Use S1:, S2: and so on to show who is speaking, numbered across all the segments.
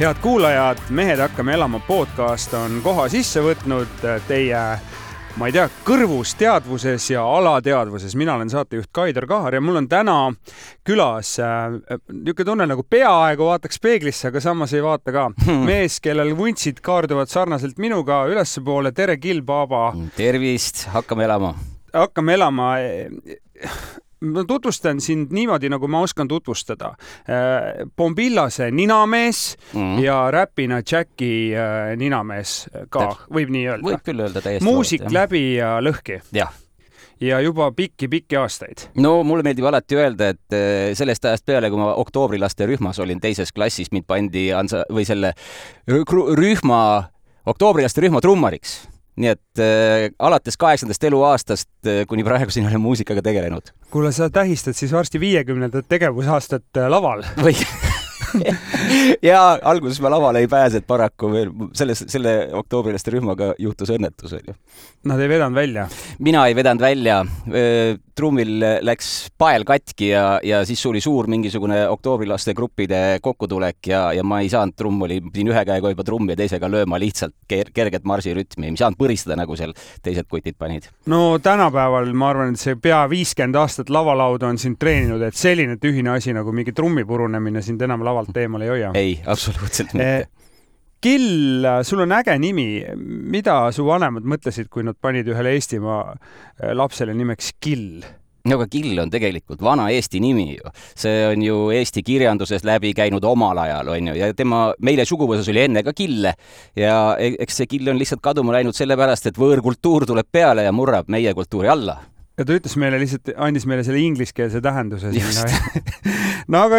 S1: Head kuulajad, Mehed hakkame elama podcast on koha sisse võtnud teie, ma ei tea, kõrvus teadvuses ja alateadvuses. Mina olen saatejuht Kaidar Kahar ja mul on täna külas niisugune tunne nagu peaaegu vaataks peeglisse, aga samas ei vaata ka. Mees, kellel vuntsid kaarduvad sarnaselt minuga ülespoole. Tere, Kill Baba.
S2: Tervist, hakkame elama.
S1: Hakkame elama. Ma tutvustan sind niimoodi, nagu ma oskan tutvustada. Bombillase ninamees ja räpina Jacki ninamees ka, võib nii öelda.
S2: Võib küll öelda täiesti.
S1: Muusik läbi ja lõhki.
S2: Jah.
S1: Ja juba pikki aastaid.
S2: No mulle meeldib alati öelda, et sellest ajast peale, kui ma oktoobриlaste rühmas olin teises klassis, mind pandi või selle rühma, oktoobриlaste rühma trummariks. Nii et alates 8. eluaastast kuni praegu siin olen muusikaga tegelenud.
S1: Kuule, sa tähistad siis varsti 50. tegevusaastat laval.
S2: Või? Ja alguses ma lavale ei pääse, et paraku veel selle oktoobrilaste rühmaga juhtus õnnetus.
S1: Nad ei vedanud välja?
S2: Mina ei vedanud välja. Trummil läks pael katki ja siis oli suur mingisugune oktoobrilaste gruppide kokkutulek ja ma ei saanud pidin ühe käega juba trummi ja teisega lööma lihtsalt kerget marsirütmi. Ei saanud põristada, nagu seal teised kutid panid.
S1: No tänapäeval ma arvan, et see pea 50 aastat lavalauda on sind treeninud, et selline tühine asi nagu mingi trummi purunemine sind enam lavalt teemal ei hoia.
S2: Ei, absoluutselt mitte.
S1: Kill, sul on äge nimi. Mida su vanemad mõtlesid, kui nad panid ühele Eestimaa lapsele nimeks Kill?
S2: No aga Kill on tegelikult vana Eesti nimi ju. See on ju Eesti kirjanduses läbi käinud omal ajal, on ju. Ja meile suguvõsas oli enne ka Kille. Ja eks see Kill on lihtsalt kaduma läinud sellepärast, et võõrkultuur tuleb peale ja murrab meie kultuuri alla.
S1: Ja ta ütles meile lihtsalt, andis meile selle ingliskeelse tähenduse. No aga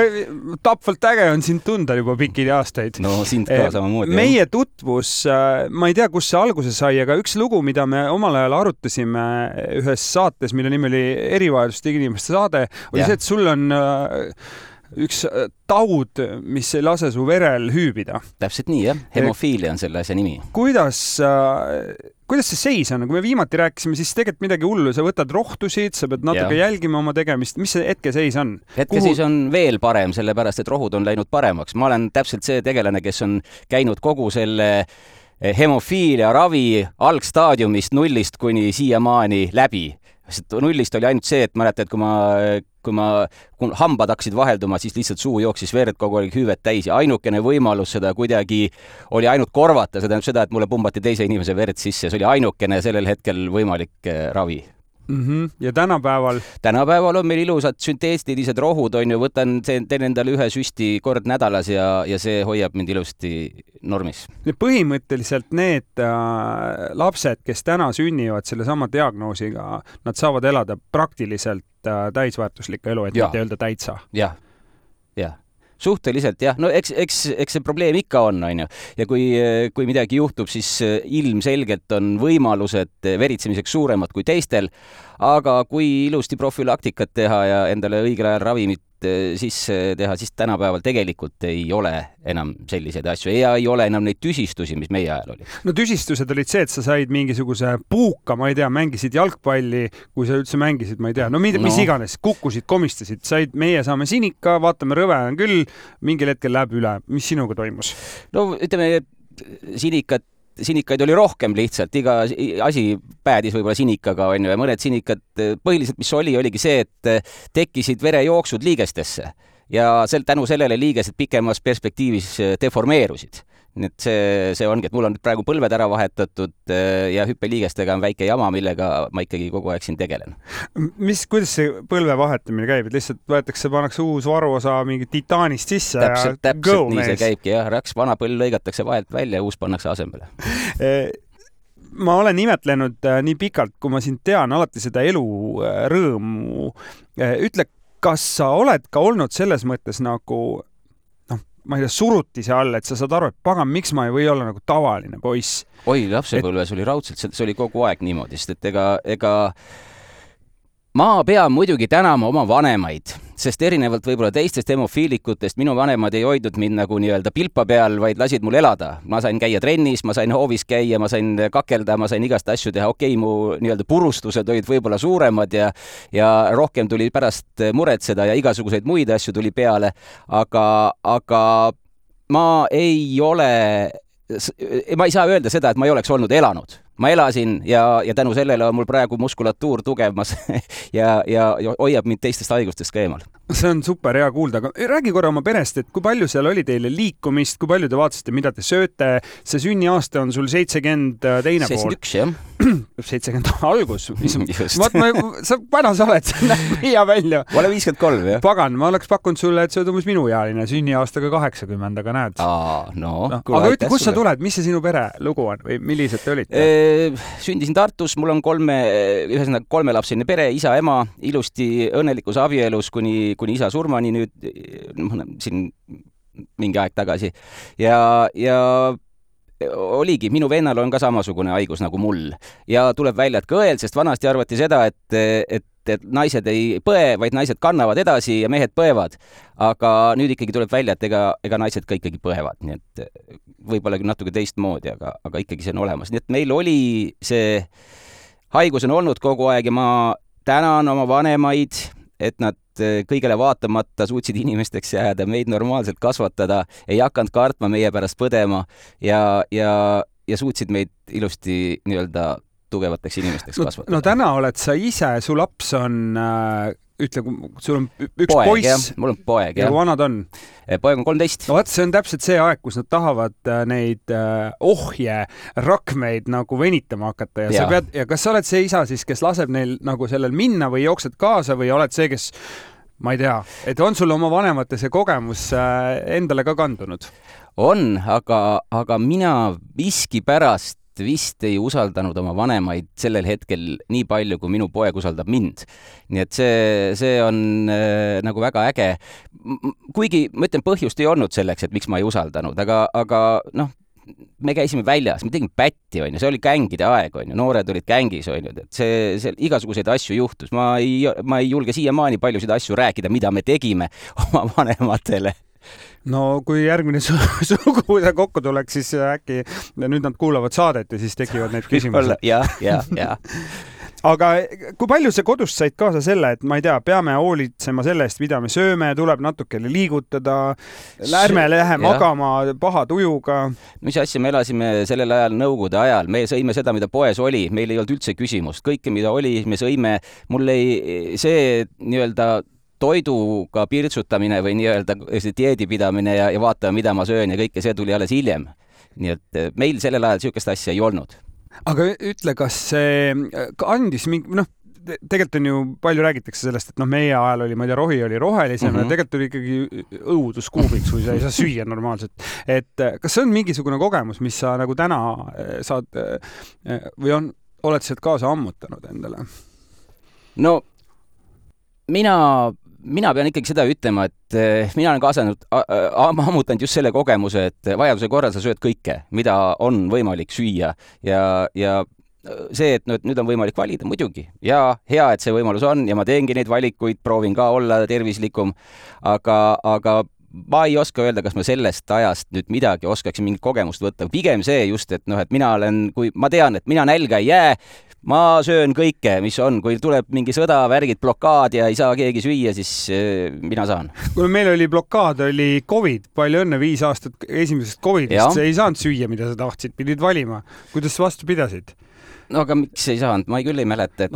S1: tapvalt äge on sind tunda juba pikki aastaid.
S2: No sind ka samamoodi.
S1: Meie tutvus, ma ei tea, kus see alguse sai, aga üks lugu, mida me omal ajal arutasime ühes saates, mille nimi oli Erivajadustega inimeste saade, oli see, et sul on üks taud, mis ei lase su verel hüübida.
S2: Täpselt nii, jah. Hemofiilia on selle asja nimi.
S1: Kuidas see seis on? Kui me viimati rääkisime, siis tegelikult midagi hullu. Sa võtad rohtusid, sa pead natuke jälgima oma tegemist. Mis see hetkeseis on?
S2: Hetkeseis on veel parem, sellepärast, et rohud on läinud paremaks. Ma olen täpselt see tegelane, kes on käinud kogu selle hemofiilia ravi algstaadiumist nullist kuni siiamaani läbi. Nullist oli ainult see, et mäletad, kui hambad hakkasid vahelduma, siis lihtsalt suu jooksis verd kogu aeg hüüvet täis ja ainukene võimalus seda kuidagi oli ainult korvata, seda, et mulle pumbati teise inimese verd sisse. See oli ainukene sellel hetkel võimalik ravi.
S1: Ja tänapäeval
S2: on meil ilusad sünteestilised rohud, on ju, teen endale ühe süsti kord nädalas ja see hoiab mind ilusti normis.
S1: Põhimõtteliselt need lapsed, kes täna sünnivad selle sama diagnoosiga, nad saavad elada praktiliselt täisväärtuslikku elu, et mitte öelda täitsa.
S2: Jah. Suhteliselt, jah. No eks see probleem ikka on, ju. Ja kui midagi juhtub, siis ilmselgelt on võimalused veritsemiseks suuremad kui teistel, aga kui ilusti profülaktikat teha ja endale õigel ajal ravimit sisse teha, siis tänapäeval tegelikult ei ole enam selliseid asju ja ei ole enam neid tüsistusi, mis meie ajal oli.
S1: No tüsistused olid see, et sa said mingisuguse puuka, ma ei tea, mängisid jalgpalli, kui sa üldse mängisid, ma ei tea, mis iganes, kukkusid, komistasid, meie saame sinika, vaatame, rõve on küll, mingil hetkel läheb üle. Mis sinuga toimus?
S2: No ütleme, sinikaid oli rohkem lihtsalt, iga asi päädis võib-olla sinikaga, on ju, ja mõned sinikad, põhiliselt mis oligi see, et tekkisid verejooksud liigestesse ja tänu sellele liigesed pikemas perspektiivis deformeerusid. Nii et see ongi, et mul on praegu põlved ära vahetatud ja hüppeliigestega on väike jama, millega ma ikkagi kogu aeg siin tegelen.
S1: Kuidas see põlve vahetamine käib? Et lihtsalt pannakse uus varuosa mingi titaanist sisse
S2: täpselt nii see käibki, jah. Raks vana põll lõigatakse vahelt välja ja uus pannakse asemele.
S1: Ma olen imetlenud nii pikalt, kui ma sind tean, alati seda elu rõõmu. Ütle, kas sa oled ka olnud selles mõttes nagu ma ei tea, surutise all, et sa saad aru, et pagan, miks ma ei või olla nagu tavaline poiss?
S2: Oi, lapsepõlves oli raudselt, see oli kogu aeg niimoodi, sest et ega ma pean muidugi tänama oma vanemaid, sest erinevalt võib-olla teistest hemofiilikutest minu vanemad ei hoidnud mind nagu nii-öelda pilpa peal, vaid lasid mul elada. Ma sain käia trennis, ma sain hoovis käia, ma sain kakelda, ma sain igast asju teha. Okei, mu nii-öelda purustused olid võib-olla suuremad ja rohkem tuli pärast muretseda ja igasuguseid muid asju tuli peale, aga ma ei saa öelda seda, et ma ei oleks olnud elanud. Ma elasin ja tänu sellele on mul praegu muskulatuur tugevamas ja hoiab mind teistest haigustest ka eemal.
S1: See on super hea kuulda, aga räägi korra oma perest, et kui palju seal oli teile liikumist, kui palju te vaatasite, mida te sööte. See sünniaasta on sul 70 teine
S2: 71, jah.
S1: 70 algus. Vana sa oled, see näeb hea välja.
S2: Ma olen 53, jah.
S1: Pagan, ma oleks pakkunud sulle, et see on umbes minuealine sünniaastaga 80, aga näed. Aga ütle, kus sa tuled, mis see sinu pere lugu on või millised te olite?
S2: Sündisin Tartus, mul on kolmelapseline pere, isa, ema, ilusti õnnelikus abielus kuni isa surmani nüüd siin mingi aeg tagasi. Ja oligi, minu vennal on ka samasugune haigus nagu mul. Ja tuleb välja, et ka õel, sest vanasti arvati seda, et naised ei põe, vaid naised kannavad edasi ja mehed põevad. Aga nüüd ikkagi tuleb välja, et ega naised ka ikkagi põevad. Nii et võib-olla küll natuke teistmoodi, aga ikkagi see on olemas. Nii et meil oli see haigus on olnud kogu aeg ja ma tänan oma vanemaid, et nad kõigele vaatamata suutsid inimesteks jääda, meid normaalselt kasvatada, ei hakanud kartma meie pärast põdema ja suutsid meid ilusti nii-öelda tugevateks inimesteks kasvatada.
S1: No täna oled sa ise, su laps on, sul on üks
S2: poeg,
S1: poiss.
S2: Jah. Mul on poeg, jah.
S1: Ja kui vanad on?
S2: Poeg on 13.
S1: No, see on täpselt see aeg, kus nad tahavad neid rakmeid nagu venitama hakata ja kas sa oled see isa siis, kes laseb neil nagu sellel minna või jooksed kaasa või oled see, kes, ma ei tea, et on sul oma vanemate see kogemus endale ka kandunud?
S2: On, aga mina miskipärast vist ei usaldanud oma vanemaid sellel hetkel nii palju, kui minu poeg usaldab mind. Nii et see on nagu väga äge. Kuigi, ma ütlen, põhjust ei olnud selleks, et miks ma ei usaldanud, aga noh, me käisime väljas, me tegime pätti, see oli gängide aeg, noored olid gängis, et see igasuguseid asju juhtus. Ma ei julge siiamaani paljusid asju rääkida, mida me tegime oma vanematele.
S1: No kui järgmine sugupuude kokku tuleks, siis äkki nüüd nad kuulavad saadet ja siis tekivad need küsimused.
S2: Ja.
S1: Aga kui palju sa kodust said kaasa selle, et ma ei tea, peame hoolitsema selle eest, mida me sööme, tuleb natukene liigutada, ärme lähe magama paha tujuga?
S2: Mis asja, me elasime sellel ajal Nõukogude ajal, me sõime seda, mida poes oli, meil ei olnud üldse küsimust, kõike, mida oli, me sõime, mul ei see nii-öelda toiduga pirtsutamine või nii-öelda dieedipidamine ja vaatame, mida ma söön ja kõike see tuli alles hiljem. Nii et meil sellel ajal sihukest asja ei olnud.
S1: Aga ütle, kas see andis mingi, tegelikult on ju palju räägitakse sellest, et meie ajal oli, ma ei tea, rohi oli rohelisem ja tegelikult oli ikkagi õuduskuubiks, kui sa ei saa süüa normaalselt. Et kas see on mingisugune kogemus, mis sa nagu täna saad või oled sealt kaasa ammutanud endale?
S2: No mina pean ikkagi seda ütlema, et mina olen ammutanud just selle kogemuse, et vajaduse korral sa sööd kõike, mida on võimalik süüa ja see, et nüüd on võimalik valida muidugi ja hea, et see võimalus on ja ma teengi neid valikuid, proovin ka olla tervislikum, aga ma ei oska öelda, kas ma sellest ajast nüüd midagi oskaksin mingit kogemust võtta. Pigem see just, et et mina ma tean, et mina nälga ei jää, ma söön kõike, mis on, kui tuleb mingi sõda, värgid, blokaad ja ei saa keegi süüa, siis mina saan.
S1: Kui meil oli blokaad, oli COVID, palju õnne, 5 aastat esimesest COVIDist, sa ei saanud süüa, mida sa tahtsid, pidid valima. Kuidas vastu pidasid?
S2: No aga miks ei saanud? Ma küll ei mäleta, et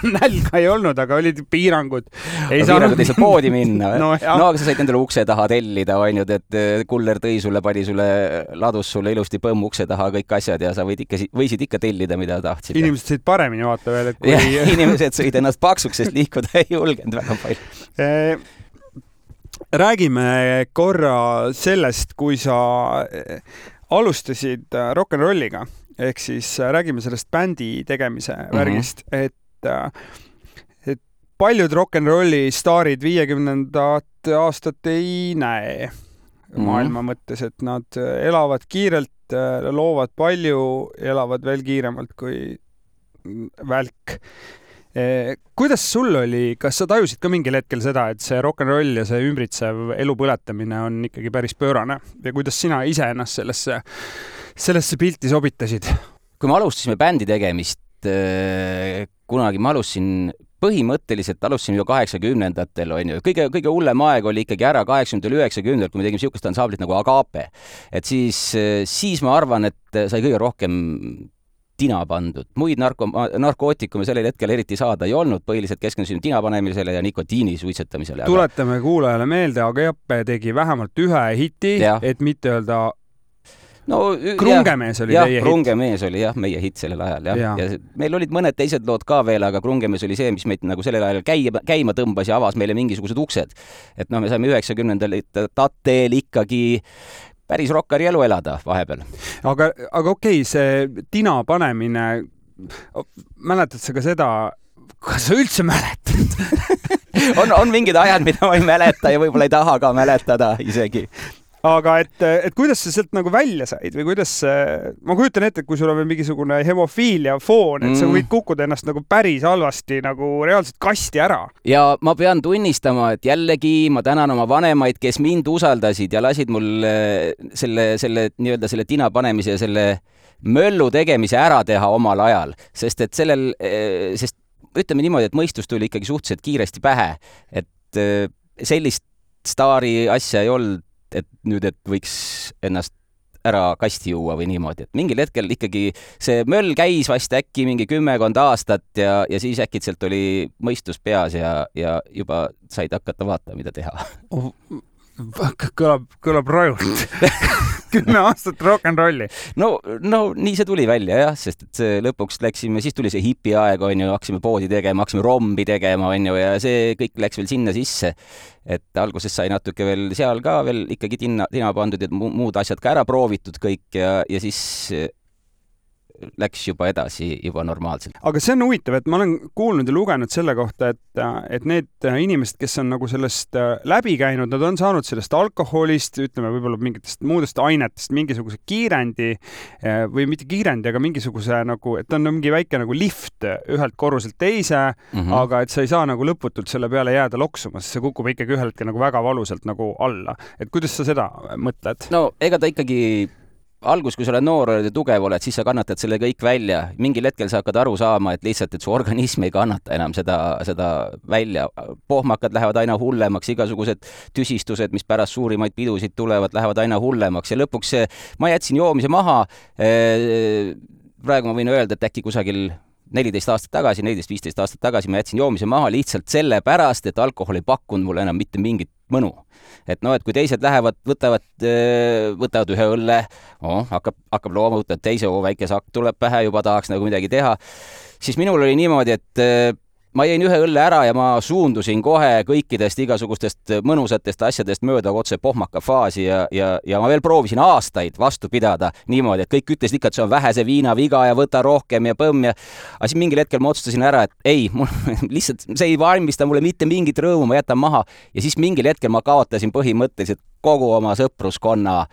S1: nälga ei olnud, aga olid piirangud.
S2: Piirangud ei saa poodi minna. No aga sa said endale ukse taha tellida, et kuller tõi sulle, pani sulle, ladus sulle ilusti põmm ukse taha kõik asjad ja sa võisid ikka tellida, mida tahtsid.
S1: Inimesed sõid paremini vaata veel.
S2: Inimesed sõid ennast paksuks, sest liikuda ei julgenud väga palju.
S1: Räägime korra sellest, kui sa alustasid rock'n'rolliga. Ehk siis räägime sellest bändi tegemise värgist, et paljud rock'n'rolli staarid 50. aastat ei näe maailma mõttes, et nad elavad kiirelt, loovad palju, elavad veel kiiremalt kui välk. Kuidas sul oli, kas sa tajusid ka mingil hetkel seda, et see rock'n'roll ja see ümbritsev elu põletamine on ikkagi päris pöörane ja kuidas sina ise ennast sellesse pilti sobitasid?
S2: Kui me alustasime bändi tegemist, kunagi ma alustasin põhimõtteliselt alustasime ju 80-ndatel, on ju. Kõige hullem aeg oli ikkagi ära 80-90, kui me tegime siukest ansamblit nagu Agape. Et siis ma arvan, et sai kõige rohkem tina pandud. Muid narkootikume sellel hetkel eriti saada ei olnud, põhiliselt keskendusime tina panemisele ja nikotiini suitsetamisele.
S1: Tuletame kuulajale meelde, Agape tegi vähemalt ühe hiti, et mitte öelda Krungemees oli teie hit.
S2: Krungemees oli meie hit sellel ajal. Ja meil olid mõned teised lood ka veel, aga Krungemees oli see, mis meid nagu sellel ajal käima tõmbas ja avas meile mingisugused uksed. Et me saime 90-ndatel ikkagi päris rokkari elu elada vahepeal.
S1: Aga okei, see tina panemine, mäletad sa ka seda, kas sa üldse mäletad?
S2: on mingid ajad, mida ma ei mäleta ja võib-olla ei taha ka mäletada isegi.
S1: Aga et kuidas sa sealt nagu välja said või kuidas, ma kujutan ette, et kui sul on veel mingisugune hemofiilia foon, et sa võid kukkuda ennast nagu päris halvasti nagu reaalselt kasti ära.
S2: Ja ma pean tunnistama, et jällegi ma tänan oma vanemaid, kes mind usaldasid ja lasid mul selle tina panemise ja selle möllu tegemise ära teha omal ajal, sest ütleme niimoodi, et mõistus tuli ikkagi suhteliselt kiiresti pähe, et sellist staari asja ei olnud, et võiks ennast ära kasti juua või niimoodi. Et mingil hetkel ikkagi see möll käis vast äkki mingi 10 aastat ja siis äkitselt oli mõistus peas ja juba said hakata vaatama, mida teha.
S1: Kõlab rajult. 10 aastat rock'n'rolli.
S2: No nii see tuli välja jah, sest et lõpuks läksime, siis tuli see hipi aeg, on ju, hakkasime poodi tegema, hakkasime rombi tegema, on ju, ja see kõik läks veel sinna sisse. Et alguses sai natuke veel seal ka veel ikkagi tina pandud ja muud asjad ka ära proovitud kõik ja siis läks juba edasi juba normaalselt.
S1: Aga see on huvitav, et ma olen kuulnud ja lugenud selle kohta, et need inimesed, kes on nagu sellest läbi käinud, nad on saanud sellest alkoholist, ütleme võib-olla mingitest muudest ainetest mingisuguse kiirendi või mitte kiirendi, aga mingisuguse nagu, et on mingi väike nagu lift ühelt korruselt teise, aga et sa ei saa nagu lõputult selle peale jääda loksuma, sest see kukub ikkagi ühel hetkel nagu väga valusalt nagu alla. Et kuidas sa seda mõtled?
S2: No ega ta ikkagi algus, kui sa oled noor ja tugev oled, siis sa kannatad selle kõik välja. Mingil hetkel sa hakkad aru saama, et lihtsalt, et su organism ei kannata enam seda välja. Pohmakad lähevad aina hullemaks, igasugused tüsistused, mis pärast suurimaid pidusid tulevad, lähevad aina hullemaks ja lõpuks ma jätsin joomise maha. Praegu ma võin öelda, et äkki kusagil 14-15 aastat tagasi ma jätsin joomise maha lihtsalt selle pärast, et alkohol ei pakkunud mulle enam mitte mingit mõnu. Et et kui teised lähevad, võtavad ühe õlle, hakkab looma, võtavad teise, väike sakk tuleb pähe, juba tahaks nagu midagi teha, siis minul oli niimoodi, et ma jäin ühe õlle ära ja ma suundusin kohe kõikidest igasugustest mõnusatest asjadest mööda otse pohmaka faasi ja ma veel proovisin aastaid vastu pidada niimoodi, et kõik ütlesid ikka, et see on vähese viina viga ja võta rohkem ja põmm ja aga siis mingil hetkel ma otsustasin ära, et ei, lihtsalt see ei valmista mulle mitte mingit rõõmu, ma jätan maha ja siis mingil hetkel ma kaotasin põhimõtteliselt kogu oma sõpruskonna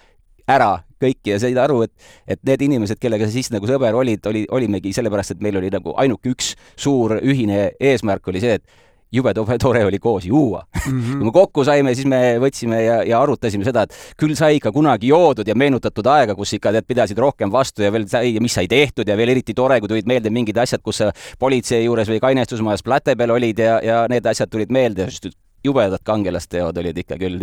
S2: ära kõiki ja said aru, et need inimesed, kellega siis nagu sõber olimegi sellepärast, et meil oli nagu ainuke üks suur ühine eesmärk oli see, et jube tore oli koos juua. Kui me kokku saime, siis me võtsime ja arutasime seda, et küll sai ikka kunagi joodud ja meenutatud aega, kus ikka pidasid rohkem vastu ja veel sai, mis sai tehtud ja veel eriti tore, kui tulid meelde mingid asjad, kus politsei juures või kainestusmajas plate peal olid ja need asjad tulid meelde, just jubedad kangelasteod olid ikka küll.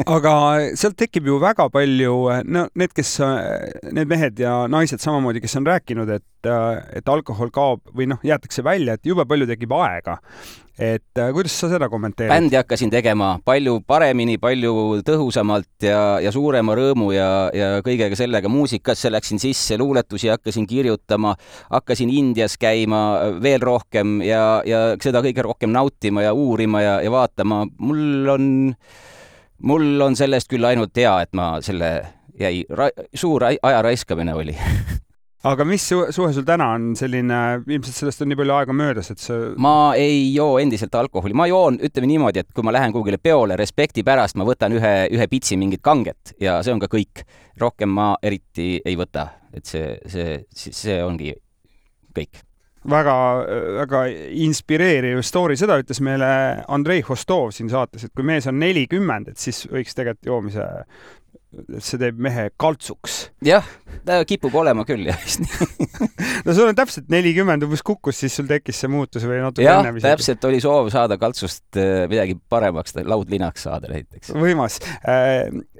S1: Aga sealt tekib ju väga palju, need mehed ja naised samamoodi, kes on rääkinud, et alkohol kaob või jäetakse välja, et jube palju tekib aega. Et kuidas sa seda kommenteerid?
S2: Bändi hakkasin tegema palju paremini, palju tõhusamalt ja suurema rõõmu ja kõigega sellega muusikasse läksin sisse, luuletusi hakkasin kirjutama, hakkasin Indias käima veel rohkem ja seda kõige rohkem nautima ja uurima ja vaatama. Mul on sellest küll ainult hea, et ma selle jäi suur aja raiskamine oli.
S1: Aga mis suhe sul täna on selline, ilmselt sellest on nii palju aega möödas, et
S2: Ma ei joo endiselt alkoholi. Ma joon, ütleme niimoodi, et kui ma lähen kuhugile peole respekti pärast, ma võtan ühe pitsi mingit kanget ja see on ka kõik. Rohkem ma eriti ei võta, et see ongi kõik.
S1: Väga inspireeriv story. Seda ütles meile Andrei Hostov siin saates, et kui mees on 40, et siis võiks tegelikult joomise see teeb mehe kaltsuks.
S2: Jah, ta kipub olema küll, jah.
S1: No sul on täpselt 40 umbes kukkus, siis sul tekkis see muutus või natuke enne?
S2: Jah, täpselt oli soov saada kaltsust midagi paremaks, laudlinaks saada näiteks.
S1: Võimas.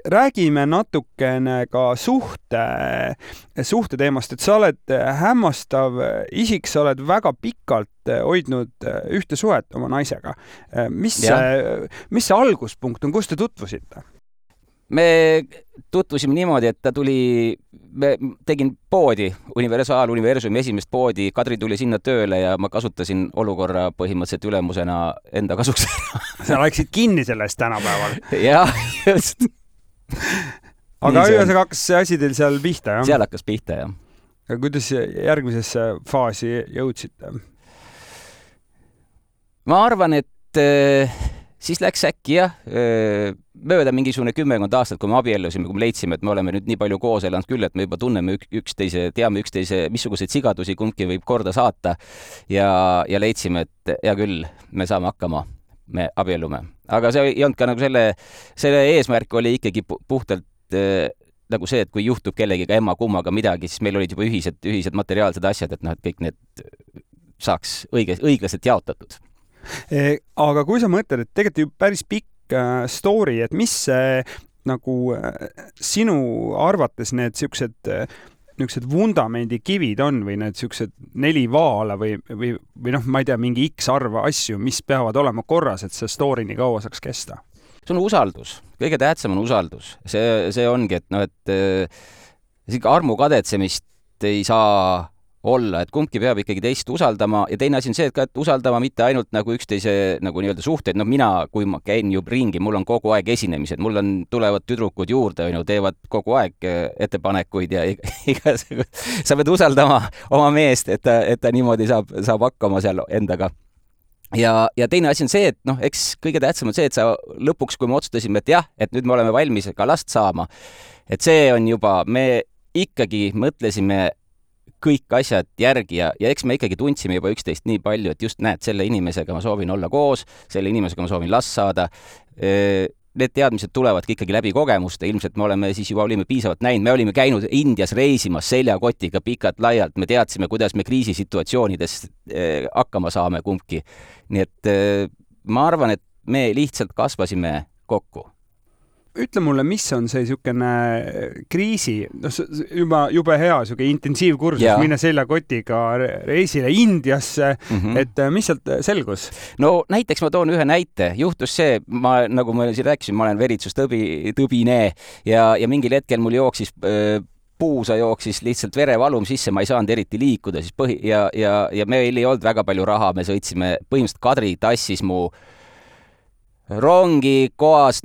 S1: Räägime natukene ka suhte teemast, et sa oled hämmastav isik, sa oled väga pikalt hoidnud ühte suhet oma naisega. Mis see alguspunkt on, kus te tutvusite?
S2: Me tutvusime niimoodi, et me tegin poodi, Universumi esimest poodi, Kadri tuli sinna tööle ja ma kasutasin olukorra põhimõtteliselt ülemusena enda kasuks.
S1: Sa läksid kinni sellest tänapäeval.
S2: Jah, just.
S1: Aga ühesõnaga hakkas see asi teil seal pihta, jah?
S2: Seal hakkas pihta, jah.
S1: Ja kuidas järgmisesse faasi jõudsite?
S2: Ma arvan, et siis läks äkki mööda mingisugune 10 aastat, kui me abiellusime, kui me leidsime, et me oleme nüüd nii palju koos elanud küll, et me juba tunneme üksteise, teame üksteise, missuguseid sigadusi kumbki võib korda saata ja leidsime, et hea küll, me saame hakkama, me abiellume. Aga see ei olnud ka nagu selle eesmärk oli ikkagi puhtalt nagu see, et kui juhtub kellegiga emma-kummaga midagi, siis meil olid juba ühised materiaalsed asjad, et et kõik need saaks õiglaselt jaotatud.
S1: Aga kui sa mõtled, et tegelikult ju päris pikk story, et mis see nagu sinu arvates need niisugused vundamendikivid on või need niisugused 4 vaala või ma ei tea, mingi X arv asju, mis peavad olema korras, et see story nii kaua saaks kesta?
S2: See on usaldus. Kõige tähtsam on usaldus. See ongi, et armu kadetsemist ei saa olla, et kumbki peab ikkagi teist usaldama ja teine asi on see, et usaldama mitte ainult nagu üksteise nagu nii-öelda suhteid, mina, kui ma käin ju ringi, mul on kogu aeg esinemised, mul tulevad tüdrukud juurde, teevad kogu aeg ettepanekuid ja sa pead usaldama oma meest, et ta niimoodi saab hakkama seal endaga. Ja teine asi on see, et eks kõige tähtsam on see, et sa lõpuks, kui me otsustasime, et jah, et nüüd me oleme valmis ka last saama, et see on juba, me ikkagi mõtlesime kõik asjad järgi ja eks me ikkagi tundsime juba üksteist nii palju, et just näed, selle inimesega ma soovin olla koos, selle inimesega ma soovin last saada. Need teadmised tulevadki ikkagi läbi kogemuste, ilmselt me olime piisavalt näinud, me olime käinud Indias reisimas seljakotiga pikalt laialt, me teadsime, kuidas me kriisisituatsioonides hakkama saame kumbki. Nii et ma arvan, et me lihtsalt kasvasime kokku.
S1: Ütle mulle, mis on see niisugune kriisi, juba hea niisugune intensiivkursus, minna seljakotiga reisile Indiasse, et mis sealt selgus?
S2: No näiteks ma toon ühe näite. Juhtus see, nagu ma siin rääkisin, ma olen veritsustõbine ja mingil hetkel mul puusa jooksis lihtsalt verevalum sisse, ma ei saanud eriti liikuda ja meil ei olnud väga palju raha, me sõitsime, põhimõtteliselt Kadri tassis mu rongi kohas,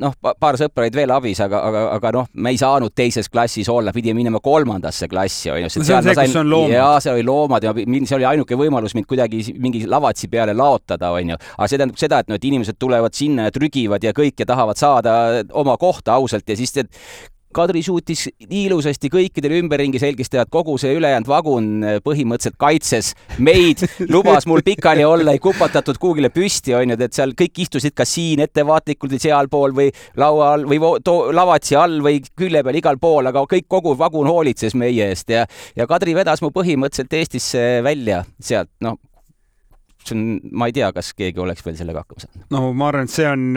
S2: paar sõpra olid veel abis, aga me ei saanud teises klassis olla, pidime minema 3. klassi.
S1: See on see, kus on loomad.
S2: Jaa, see oli loomad ja see oli ainuke võimalus mind kuidagi mingi lavatsi peale laotada. Aga see tähendab seda, et inimesed tulevad sinna ja trügivad ja kõik ja tahavad saada oma kohta ausalt ja siis Kadri suutis ilusasti kõikidele ümberringi selgeks teha, et kogu see ülejäänud vagun põhimõtteliselt kaitses meid, lubas mul pikali olla, ei kupatatud kuugile püsti, et seal kõik istusid ka siin ettevaatlikult või seal pool või laua all või lavatsi all või külje peal igal pool, aga kogu vagun hoolitses meie eest ja Kadri vedas mu põhimõtteliselt Eestisse välja sealt, ma ei tea, kas keegi oleks veel sellega hakkama saanud.
S1: No ma arvan, et see on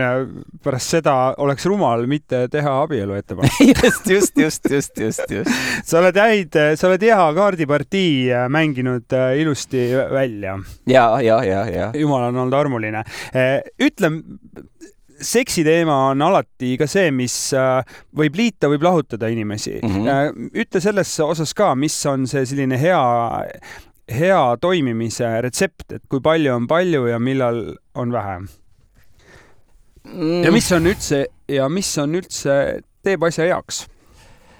S1: pärast seda oleks rumal mitte teha abielu ettepanek.
S2: Just.
S1: Sa oled hea kaardipartii mänginud ilusti välja.
S2: Ja.
S1: Jumal on olnud armuline. Ütle, seksi teema on alati ka see, mis võib liita, võib lahutada inimesi. Ütle selles osas ka, mis on see selline hea toimimise retsept, et kui palju on palju ja millal on vähe. Ja mis on üldse teeb asja heaks?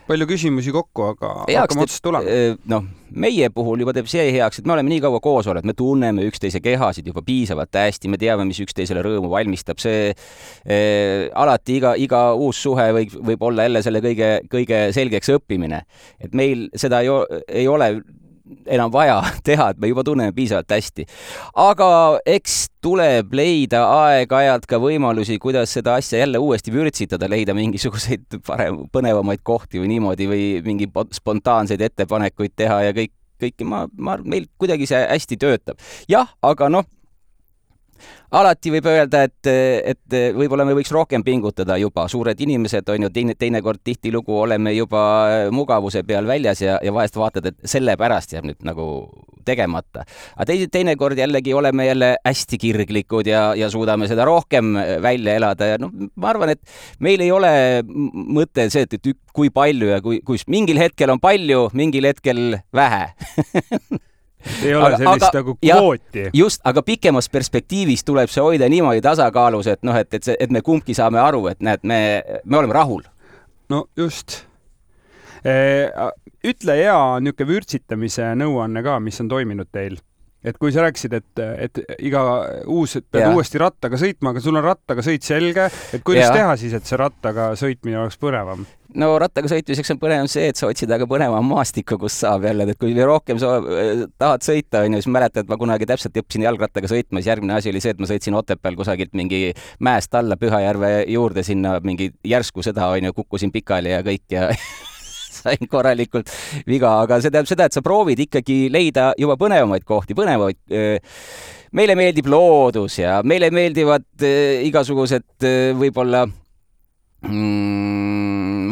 S1: Palju küsimusi kokku, aga hakkame otsast tulema.
S2: Meie puhul juba teeb see heaks, et me oleme nii kaua koos olnud, me tunneme üksteise kehasid juba piisavalt hästi, me teame, mis üksteisele rõõmu valmistab. See alati iga uus suhe võib olla jälle selle kõige selgeks õppimine. Et meil seda ei ole enam vaja teha, et me juba tunneme piisavalt hästi. Aga eks tuleb leida aeg-ajalt ka võimalusi, kuidas seda asja jälle uuesti vürtsitada, leida mingisuguseid põnevamaid kohti või niimoodi või mingi spontaanseid ettepanekuid teha ja kõiki meil kuidagi see hästi töötab. Jah, aga alati võib öelda, et võib-olla me võiks rohkem pingutada juba. Suured inimesed on ju teinekord tihtilugu oleme juba mugavuse peal väljas ja vahest vaatad, et selle pärast jääb nüüd nagu tegemata. Aga teinekord jällegi oleme jälle hästi kirglikud ja suudame seda rohkem välja elada. Ja ma arvan, et meil ei ole mõte see, et kui palju ja kui mingil hetkel on palju, mingil hetkel vähe.
S1: Ei ole sellist nagu kvooti.
S2: Just, aga pikemas perspektiivis tuleb see hoida niimoodi tasakaalus, et me kumbki saame aru, et näed, me oleme rahul.
S1: No just. Ütle hea niuke vürtsitamise nõuanne ka, mis on toiminud teil. Et kui sa rääkisid, et iga pead uuesti rattaga sõitma, aga sul on rattaga sõit selge, et kuidas teha siis, et see rattaga sõitmine oleks põnevam?
S2: No rattaga sõitmiseks on põnevam see, et sa otsid aga põnevam maastikku, kus saab jälle, et kui rohkem sa tahad sõita, siis mäletad, et ma kunagi täpselt õppisin jalgrattaga sõitma, siis järgmine asi oli see, et ma sõitsin Otepääl kusagilt mingi mäest alla Pühajärve juurde sinna mingi järsku seda, kukkusin pikali ja kõik ja sain korralikult viga, aga see tähendab seda, et sa proovid ikkagi leida juba põnevamaid kohti, meile meeldib loodus ja meile meeldivad igasugused võib-olla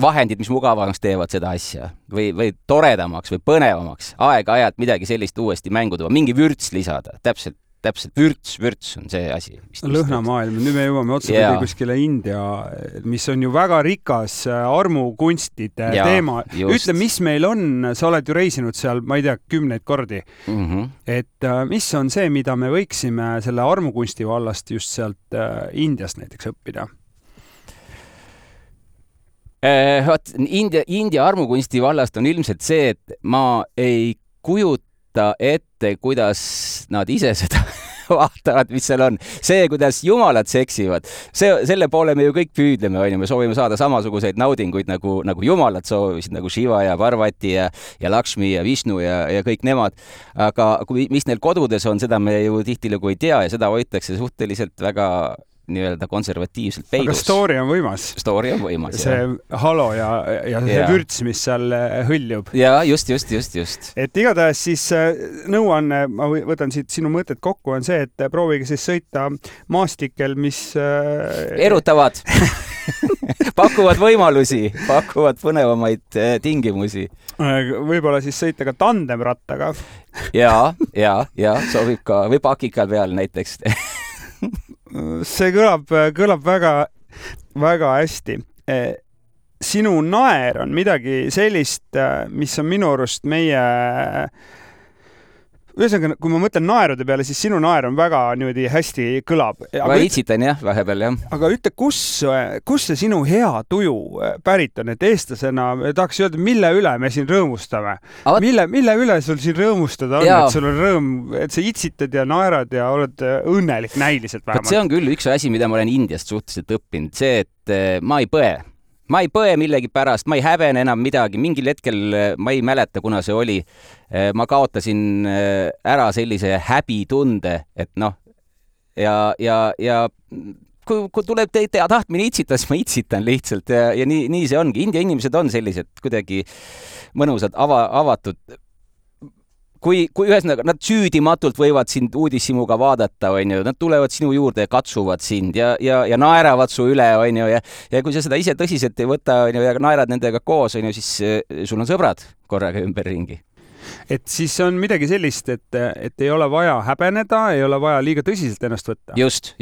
S2: vahendid, mis mugavamaks teevad seda asja või toredamaks või põnevamaks, aeg-ajalt midagi sellist uuesti mängu tuua, mingi vürts lisada, täpselt vürts on see asi.
S1: Lõhnamaailm, nüüd me jõuame otsapidi kuskile India, mis on ju väga rikas armukunstide teema. Ütle, mis meil on, sa oled ju reisinud seal, ma ei tea, 10 kordi. Et mis on see, mida me võiksime selle armukunsti vallast just sealt Indiast näiteks õppida?
S2: India armukunsti vallast on ilmselt see, et ma ei kujuta ette, kuidas nad ise seda vaatavad, mis seal on. See, kuidas jumalad seksivad, selle poole me ju kõik püüdleme, me soovime saada samasuguseid naudinguid nagu jumalad soovisid, nagu Shiva ja Parvati ja Lakshmi ja Vishnu ja kõik nemad. Aga mis neil kodudes on, seda me ju tihtilugu ei tea ja seda hoitakse suhteliselt väga nii-öelda konservatiivselt peidus.
S1: Aga story on võimas.
S2: Story on võimas,
S1: see halo ja see vürts, mis seal hõljub.
S2: Ja just.
S1: Et igatahes siis nõuanne, ma võtan siit sinu mõtted kokku, on see, et proovige siis sõita maastikel, mis
S2: erutavad, pakuvad võimalusi, pakuvad põnevamaid tingimusi.
S1: Võib-olla siis sõita ka tandemrattaga.
S2: Ja, sobib ka, või pakikal peal näiteks.
S1: See kõlab väga, väga hästi. Sinu naer on midagi sellist, mis on minu arust meie... Ühesõnaga, kui ma mõtlen naerude peale, siis sinu naer on väga niimoodi hästi kõlab.
S2: Ma itsitan vahepeal.
S1: Aga ütle, kus see sinu hea tuju pärit on, et eestlasena tahaks öelda, mille üle me siin rõõmustame? Mille üle sul siin rõõmustada on, et sul on rõõm, et sa itsitad ja naerad ja oled õnnelik näiliselt vähemalt?
S2: See on küll üks asi, mida ma olen Indiast suhteliselt õppinud, see, et ma ei põe. Ma ei põe millegi pärast, ma ei häbene enam midagi, mingil hetkel ma ei mäleta, kuna see oli. Ma kaotasin ära sellise häbitunde, et ja kui tuleb tahtmine itsitada, siis ma itsitan lihtsalt ja nii see ongi. India inimesed on sellised kuidagi mõnusad, avatud. Kui ühesõnaga, nad süüdimatult võivad sind uudishimuga vaadata, nad tulevad sinu juurde ja katsuvad sind ja naeravad su üle, ja kui sa seda ise tõsiselt ei võta ja naerad nendega koos, siis sul on sõbrad korraga ümberringi.
S1: Et siis on midagi sellist, et ei ole vaja häbeneda, ei ole vaja liiga tõsiselt ennast võtta.
S2: Just,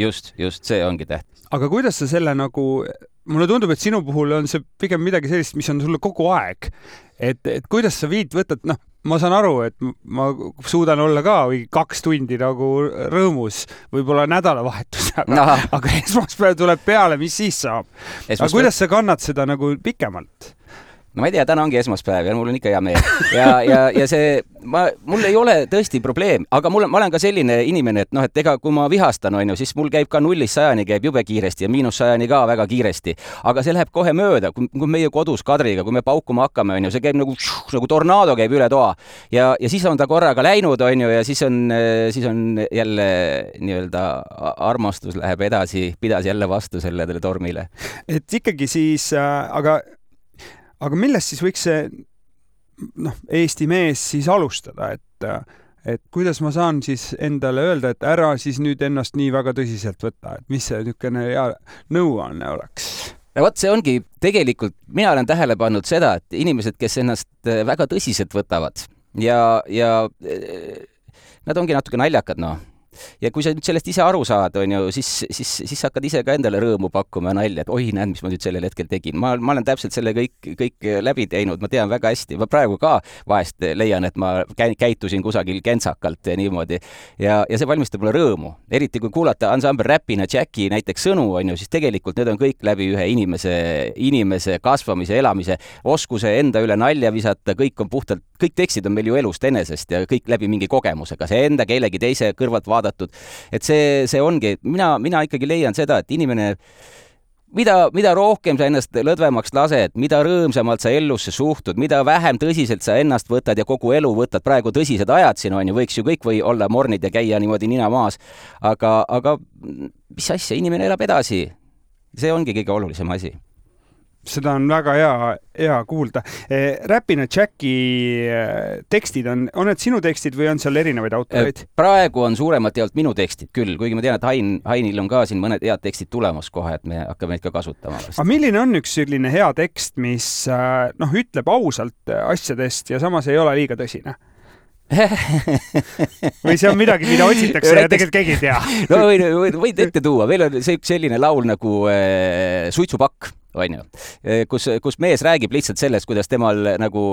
S2: see ongi tähtis.
S1: Aga kuidas sa selle mulle tundub, et sinu puhul on see pigem midagi sellist, mis on sulle kogu aeg. Et kuidas sa võtad, ma saan aru, et ma suudan olla ka 2 tundi nagu rõõmus, võib-olla nädalavahetus, aga esmaspäev tuleb peale, mis siis saab? Aga kuidas sa kannad seda nagu pikemalt?
S2: no ma ei tea, täna ongi esmaspäev ja mul on ikka hea meel. Ja see, mul ei ole tõesti probleem, aga ma olen ka selline inimene, et noh, et ega kui ma vihastan, on ju, siis mul käib ka 0-100 käib jube kiiresti ja -100 ka väga kiiresti. Aga see läheb kohe mööda, kui meie kodus Kadriga, kui me paukuma hakkame, on ju, see käib nagu tornaado käib üle toa. Ja siis on ta korraga läinud, on ju, ja siis on jälle nii-öelda armastus läheb edasi, pidas jälle vastu sellele tormile.
S1: Et ikkagi siis, aga millest siis võiks see Eesti mees siis alustada, et kuidas ma saan siis endale öelda, et ära siis nüüd ennast nii väga tõsiselt võtta, et mis see niisugune nõuanne oleks?
S2: Ja vot see ongi tegelikult, mina olen tähele pannud seda, et inimesed, kes ennast väga tõsiselt võtavad ja nad ongi natuke naljakad, Ja kui sa nüüd sellest ise aru saad, on ju, siis hakkad ise ka endale rõõmu pakkuma ja nalja, et oi, näed, mis ma nüüd sellel hetkel tegin. Ma olen täpselt selle kõik läbi teinud, ma tean väga hästi. Ma praegu ka vahest leian, et ma käitusin kusagil kentsakalt ja niimoodi. Ja see valmistab mulle rõõmu. Eriti kui kuulata ansambel Rapina Jacki näiteks sõnu, on ju, siis tegelikult need on kõik läbi ühe inimese kasvamise, elamise, oskuse enda üle nalja visata, kõik on puhtalt, kõik tekstid on meil ju elust enesest ja kõik läbi mingi kogemusega. See enda kellegi teise kõrvalt vaadatud. Et see ongi, mina ikkagi leian seda, et inimene, mida rohkem sa ennast lõdvemaks lased, mida rõõmsamalt sa ellusse suhtud, mida vähem tõsiselt sa ennast võtad ja kogu elu võtad, praegu tõsised ajad siin on ju, võiks ju kõik või olla mornid ja käia niimoodi nina maas, aga mis asja, inimene elab edasi. See ongi kõige olulisem asi.
S1: Seda on väga hea kuulda. Rapina Jacki tekstid on need sinu tekstid või on seal erinevaid autoreid?
S2: Praegu on suuremalt jaolt minu tekstid küll, kuigi ma tean, et Hainil on ka siin mõned head tekstid tulemas kohe, et me hakkame neid ka kasutama.
S1: Aga milline on üks selline hea tekst, mis ütleb ausalt asjadest ja samas ei ole liiga tõsine? Või see on midagi, mida otsitakse ja tegelikult keegi ei tea?
S2: No võid ette tuua. Veel on selline laul nagu Suitsupakk. On ju, kus mees räägib lihtsalt sellest, kuidas temal nagu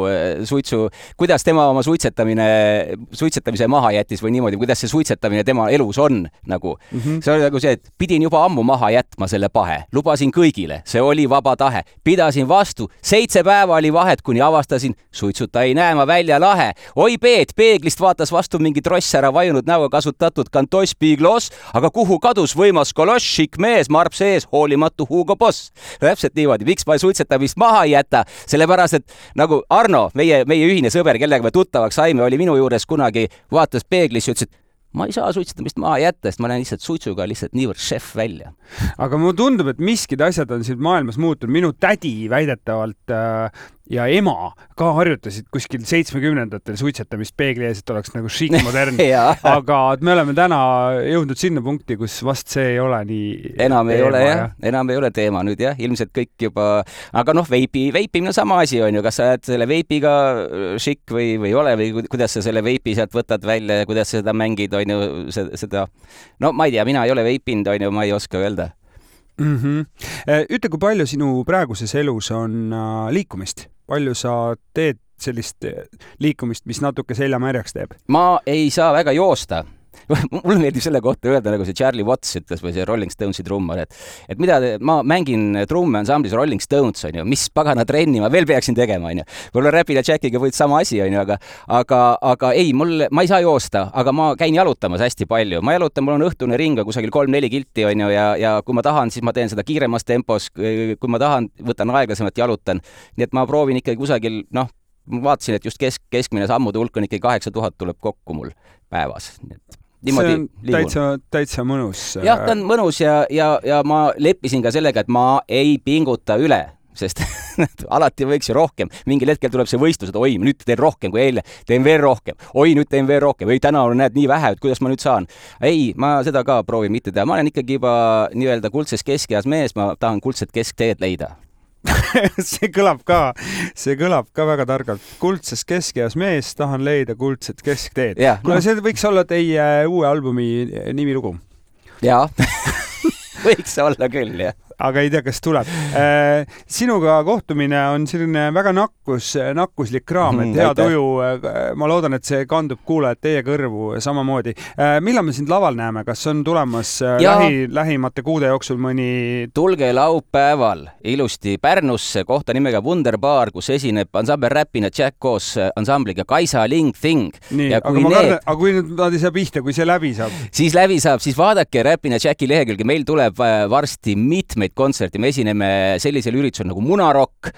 S2: kuidas tema oma suitsetamise maha jättis või niimoodi, kuidas see suitsetamine tema elus on nagu. See oli nagu see, et pidin juba ammu maha jätma selle pahe. Lubasin kõigile, see oli vaba tahe. Pidasin vastu, 7 päeva oli vahet, kuni avastasin, suitsuta ei näe ma välja lahe. Oi Peet, peeglist vaatas vastu mingi tross ära vajunud näoga kasutatud kantoss Biglos, aga kuhu kadus võimas koloss, šik mees, marp sees, hoolimatu Hugo Boss. Täpselt niimoodi, miks ma suitsetamist maha ei jäta, sellepärast, et nagu Arno, meie ühine sõber, kellega me tuttavaks saime, oli minu juures kunagi, vaatas peeglis ja ütles, et ma ei saa suitsetamist maha jätta, sest ma näen lihtsalt suitsuga lihtsalt niivõrd šef välja.
S1: Aga mulle tundub, et miskid asjad on siin maailmas muutunud. Minu tädi väidetavalt ja ema ka harjutasid kuskil 70-ndatel suitsetamist peegli ees, et oleks nagu šiik modern. Aga me oleme täna jõudnud sinna punkti, kus vast see ei ole nii
S2: enam ei ole, jah. Enam ei ole teema nüüd, jah. Ilmselt kõik juba... Aga veipimine on sama asi, on ju. Kas sa oled selle veipiga šik või ei ole või kuidas sa selle veipi sealt võtad välja ja kuidas sa seda mängid, on ju, seda... No ma ei tea, mina ei ole veipinud, on ju, ma ei oska öelda.
S1: Ütle, kui palju sinu praeguses elus on liikumist? Palju sa teed sellist liikumist, mis natuke selja märjaks teeb?
S2: Ma ei saa väga joosta. Mulle meeldib selle kohta öelda, nagu see Charlie Watts ütles või see Rolling Stonesi trummar, et mida ma mängin trumme ansamblis Rolling Stones, on ju, mis pagana trenni ma veel peaksin tegema, on ju. Võib-olla Rapina Jackiga võid sama asi, on ju, aga ei, ma ei saa joosta, aga ma käin jalutamas hästi palju. Ma jalutan, mul on õhtune ring kusagil 3-4 kilti, on ju, ja kui ma tahan, siis ma teen seda kiiremas tempos, kui ma tahan, võtan aeglasemalt, jalutan. Nii et ma proovin ikkagi kusagil, ma vaatasin, et just keskmine sammude hulk on ikkagi 8000 tuleb kokku mul päevas.
S1: See on täitsa mõnus.
S2: Jah, ta on mõnus ja ma leppisin ka sellega, et ma ei pinguta üle, sest alati võiks ju rohkem. Mingil hetkel tuleb see võistlus, et oi, nüüd teen rohkem kui eile, teen veel rohkem. Oi, nüüd teen veel rohkem. Või täna näed nii vähe, et kuidas ma nüüd saan. Ei, ma seda ka proovin mitte teha. Ma olen ikkagi juba nii-öelda kuldses keskeas mees, ma tahan kuldset keskteed leida.
S1: see kõlab ka väga targalt. Kuldses keskeas mees, tahan leida kuldset keskteed. No see võiks olla teie uue albumi nimilugu.
S2: Jaa, võiks olla küll, jah.
S1: aga ei tea, kas tuleb. Sinuga kohtumine on selline väga nakkuslik kraam, et hea tuju. Ma loodan, et see kandub kuulajad teie kõrvu samamoodi. Millal me sind laval näeme? Kas on tulemas lähimate kuude jooksul mõni?
S2: Tulge laupäeval ilusti Pärnusse kohta nimega Wunderbar, kus esineb ansambel Räpina Jack koos ansambliga Kaisa Ling Thing.
S1: Nii, aga kui nad ei saa pihta, kui see läbi saab?
S2: Siis läbi saab, siis vaadake Räpina Jacki lehekülge. Meil tuleb varsti mitmeid kontserti. Me esineme sellisel üritusel nagu Munarokk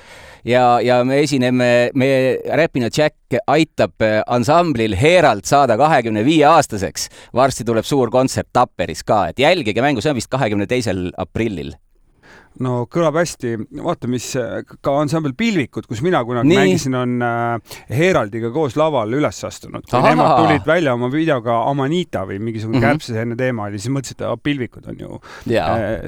S2: ja me esineme, Räpina Jack aitab ansamblil Herald saada 25-aastaseks. Varsti tuleb suur kontsert Tapperis ka, et jälgige mängu, see on vist 22. aprillil.
S1: No kõlab hästi. Vaata, mis ka ansambel Pilvikud, kus mina kunagi mängisin, on Heraldiga koos laval üles astunud. Kui nemad tulid välja oma videoga Amanita või mingisugune kärbsesenne teema oli, siis mõtlesid, et Pilvikud on ju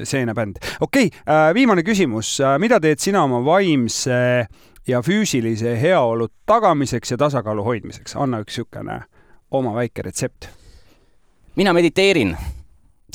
S1: seene bänd. Okei, viimane küsimus. Mida teed sina oma vaimse ja füüsilise heaolu tagamiseks ja tasakaalu hoidmiseks? Anna üks sükene oma väike retsept.
S2: Mina mediteerin.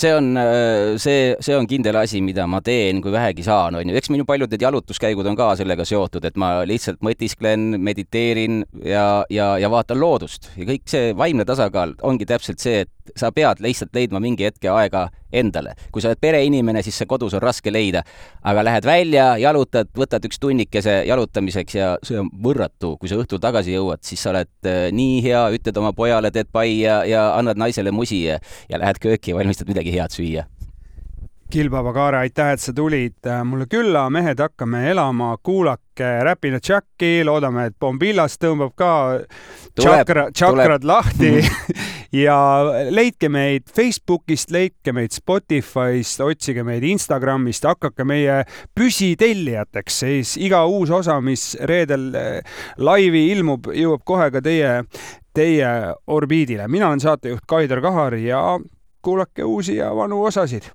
S2: See on kindel asi, mida ma teen, kui vähegi saan. Eks minu paljud need jalutuskäigud on ka sellega seotud, et ma lihtsalt mõtisklen, mediteerin ja vaatan loodust. Ja kõik see vaimne tasakaal ongi täpselt see, et sa pead lihtsalt leidma mingi hetke aega endale. Kui sa oled pereinimene, siis see kodus on raske leida. Aga lähed välja, jalutad, võtad üks tunnikese jalutamiseks ja see on võrratu. Kui sa õhtul tagasi jõuad, siis sa oled nii hea, ütled oma pojale, teed pai ja annad naisele musi ja lähed kööki ja valmistad midagi head süüa.
S1: Kilbaba Kaare, aitäh, et sa tulid mulle külla. Mehed, hakkame elama, kuulake Räpina Jacki, loodame, et Bombillas tõmbab ka tšakrad lahti ja leidke meid Facebookist, leidke meid Spotifyst, otsige meid Instagramist, hakake meie püsitellijateks, siis iga uus osa, mis reedel laivi ilmub, jõuab kohe ka teie orbiidile. Mina olen saatejuht Kaidar Kahar ja kuulake uusi ja vanu osasid.